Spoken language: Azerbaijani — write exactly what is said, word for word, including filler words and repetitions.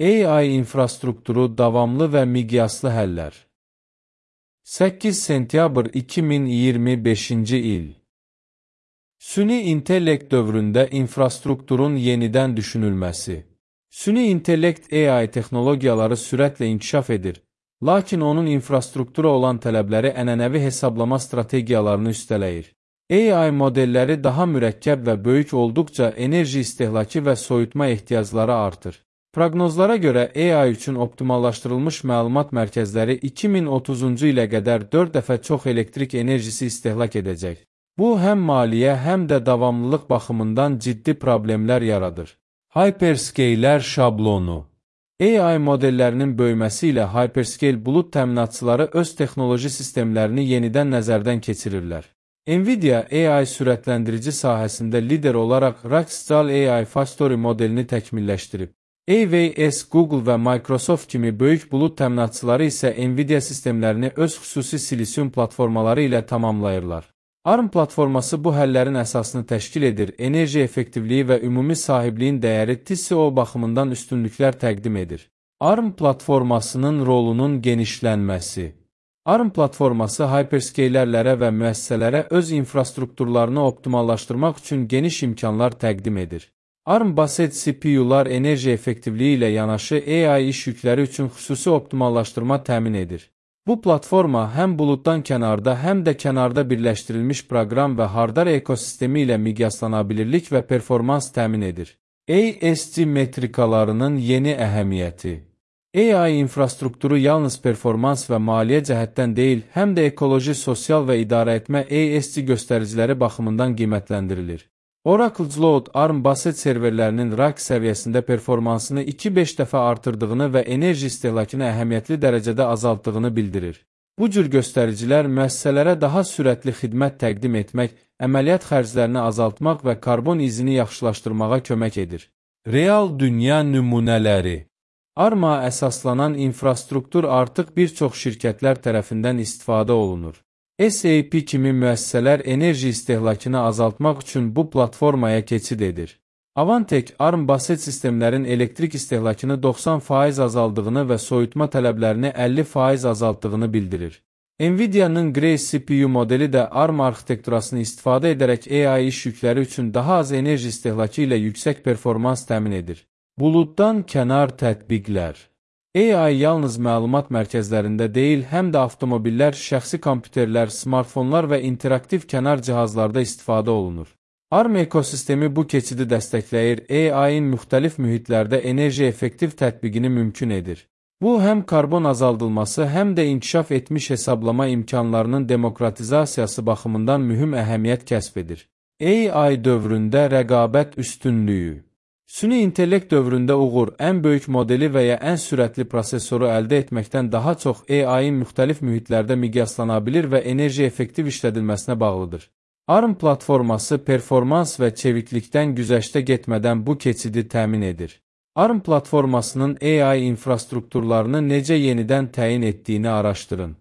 A I infrastrukturu davamlı və miqyaslı həllər. səkkiz sentyabr iki min iyirmi beşinci il. Süni intellekt dövründə infrastrukturun yenidən düşünülməsi. Süni intellekt A I texnologiyaları sürətlə inkişaf edir, lakin onun infrastruktura olan tələbləri ənənəvi hesablama strategiyalarını üstələyir. A I modelləri daha mürəkkəb və böyük olduqca enerji istehlakı və soyutma ehtiyacları artır. Proqnozlara görə A I üçün optimallaşdırılmış məlumat mərkəzləri iki min otuzuncu ilə qədər dörd dəfə çox elektrik enerjisi istehlak edəcək. Bu, həm maliyyə, həm də davamlılıq baxımından ciddi problemlər yaradır. Hyperscaler şablonu. A I modellərinin böyüməsi ilə hyperscale bulud təminatçıları öz texnoloji sistemlərini yenidən nəzərdən keçirirlər. Nvidia A I sürətləndirici sahəsində lider olaraq Rackscale A I Factory modelini təkmilləşdirib. A W S, Google və Microsoft kimi böyük bulud təminatçıları isə Nvidia sistemlərini öz xüsusi silisium platformaları ilə tamamlayırlar. ARM platforması bu həllərin əsasını təşkil edir, enerji effektivliyi və ümumi sahibliyin dəyəri T C O baxımından üstünlüklər təqdim edir. ARM platformasının rolunun genişlənməsi. ARM platforması hyperscalerlərə və müəssisələrə öz infrastrukturlarını optimallaşdırmaq üçün geniş imkanlar təqdim edir. ARM baset C P U'lar enerji effektivliyi ilə yanaşı A I iş yükləri üçün xüsusi optimallaşdırma təmin edir. Bu platforma həm buluddan kənarda, həm də kənarda birləşdirilmiş proqram və hardar ekosistemi ilə miqyaslanabilirlik və performans təmin edir. A S C metrikalarının yeni əhəmiyyəti. A I infrastrukturu yalnız performans və maliyyə cəhətdən deyil, həm də ekoloji, sosial və idarəetmə A S C göstəriciləri baxımından qiymətləndirilir. Oracle Cloud, ARM baset serverlərinin rak səviyyəsində performansını iki beş dəfə artırdığını və enerji istehlakını əhəmiyyətli dərəcədə azaltdığını bildirir. Bu cür göstəricilər müəssisələrə daha sürətli xidmət təqdim etmək, əməliyyat xərclərini azaltmaq və karbon izini yaxşılaşdırmağa kömək edir. Real dünya nümunələri. ARM-a əsaslanan infrastruktur artıq bir çox şirkətlər tərəfindən istifadə olunur. S A P kimi müəssisələr enerji istehlakını azaltmaq üçün bu platformaya keçid edir. Avantek, ARM baset sistemlərin elektrik istehlakını doxsan faiz azaldığını və soyutma tələblərini əlli faiz azaltdığını bildirir. Nvidia'nın Grace C P U modeli də ARM arxitekturasını istifadə edərək A I iş yükləri üçün daha az enerji istehlakı ilə yüksək performans təmin edir. Buluddan kənar tətbiqlər. A I yalnız məlumat mərkəzlərində deyil, həm də avtomobillər, şəxsi kompüterlər, smartfonlar və interaktiv kənar cihazlarda istifadə olunur. ARM ekosistemi bu keçidi dəstəkləyir, A I-in müxtəlif mühitlərdə enerji effektiv tətbiqini mümkün edir. Bu, həm karbon azaldılması, həm də inkişaf etmiş hesablama imkanlarının demokratizasiyası baxımından mühüm əhəmiyyət kəsb edir. A I dövründə rəqabət üstünlüyü. Süni intellekt dövründə uğur, ən böyük modeli və ya ən sürətli prosesoru əldə etməkdən daha çox A I-in müxtəlif mühitlərdə miqyaslanabilir və enerji effektiv işlədilməsinə bağlıdır. ARM platforması performans və çeviklikdən güzəştə getmədən bu keçidi təmin edir. ARM platformasının A I infrastrukturlarını necə yenidən təyin etdiyini araşdırın.